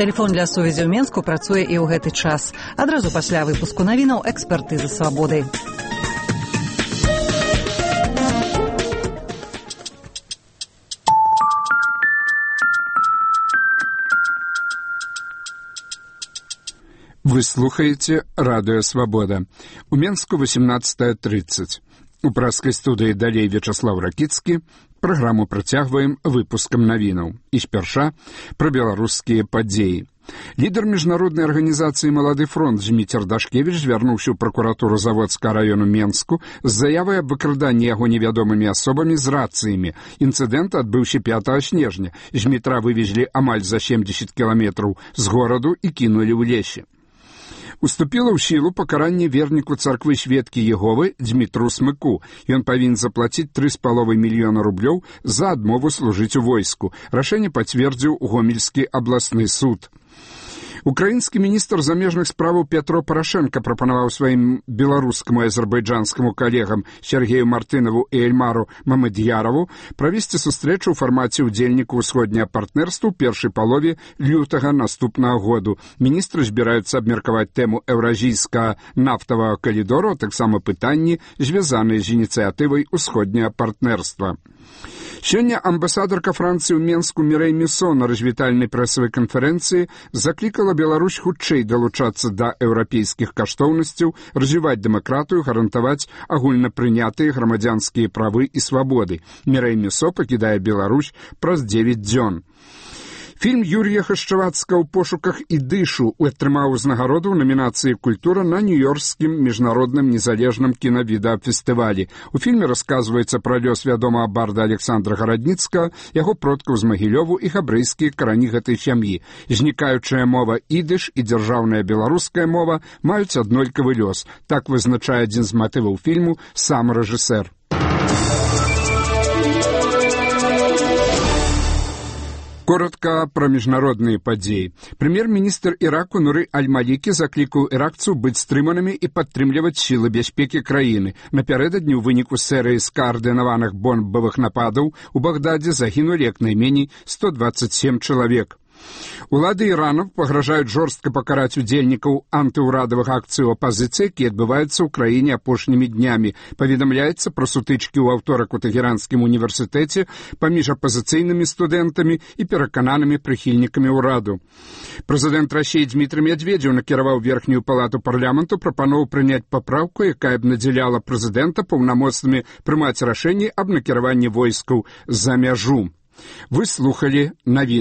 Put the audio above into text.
Тэлефон для сувязі ў Менску працуе і ў гэты час. Адразу пасля выпуску навінаў экспертызы свабоды. Вы слухаете «Радио Свобода». У Менску 18:30. У праскай студыі далей Вячаслав Ракіцкі. Праграму працягваем выпускам навінаў. І спярша пра беларускія падзеі. Лідар міжнароднай арганізацыі «Малады фронт» Зміцер Дашкевіч звярнуўся ў пракуратуру Заводскага раёну Менску з заявай аб выкраданні яго невядомымі асобамі з рацыямі. Інцыдэнт адбыўся 5 снежня. Змітра вывезлі амаль за 70 кіламетраў з гораду і кінулі ў лесе. Уступіла ў сілу пакаранне верніку царквы Сведкі Єговы Дзмітру Смыку. Ён павінен заплаціць 3,5 мільёна рублёў за адмову служыць у войску. Рашэнне пацвердзіў Гомельскі абласны суд. Украінскі міністр замежных справаў Пятро Парашенко прапанаваў сваім беларускаму і азербайджанскаму калегам Сергею Мартынаву і Эльмару Мамед'ярову правесці сустрэчу ў фармаце ўдзельнікаў усходняга партнерства ў першай палове лютага наступнага году. Міністры збіраюцца абмеркаваць тэму еўразійскага нафтавага калідору, а таксама пытанні, звязаныя з ініцыятывай усходняга партнерства. Сёння амбасадарка Францыі ў Менску Мірэй Мюсо на развітальнай прэсавай канферэнцыі заклікала Беларусь хутчэй далучацца да еўрапейскіх каштоўнасцяў, развіваць дэмакратыю, гарантаваць агульнапрынятыя грамадзянскія правы і свабоды. Мірэй Мюсо пакідае Беларусь праз 9 дзён. Фільм Юрія Хашчавацкага «У пошуках ідышу» атрымаў узнагароду ў намінацыі «Культура» на Нью-Йоркскім міжнародным незалежным кінавідэафестывалі. У фільме расказваецца пра лёс вядомага барда Александра Гарадніцкага, яго продкаў з Магілёву і габрэйскія карані гэтай сям'і. Знікаючая мова ідыш і дзяржаўная беларуская мова маюць аднолькавы лёс. Так вызначае адзін з матываў фільму сам рэжысэр. Коротка пра міжнародныя падзеі. Прэм'ер-міністр Іраку Нуры Аль-Малікі заклікаў іракцаў быць стрыманымі і падтрымліваць сілы бяспекі краіны. Напярэдадні ў выніку серыі скаардынаваных бомбавых нападаў у Багдадзе загінулі як найменей 127 чалавек. Улады Ірана пагражаюць жорстка пакараць удзельнікаў антыўрадавых акцый апазіцыі, якія адбываюцца ў краіне апошнімі днямі. Паведамляецца пра сутычкі ў аўторак у Тэхеранскім універсітэце паміж апазіцыйнымі студэнтамі і перакананымі прыхільнікамі ўраду. Прэзідэнт Расіі Дмітрый Медведзеў накіраваў верхнюю палату парламенту прапанову прыняць папраўку, якая б надзяляла прэзідэнта паўнамоцтвамі прымаць рашэнні аб накіраванні войскаў за мяжу. Вы слухалі навіны.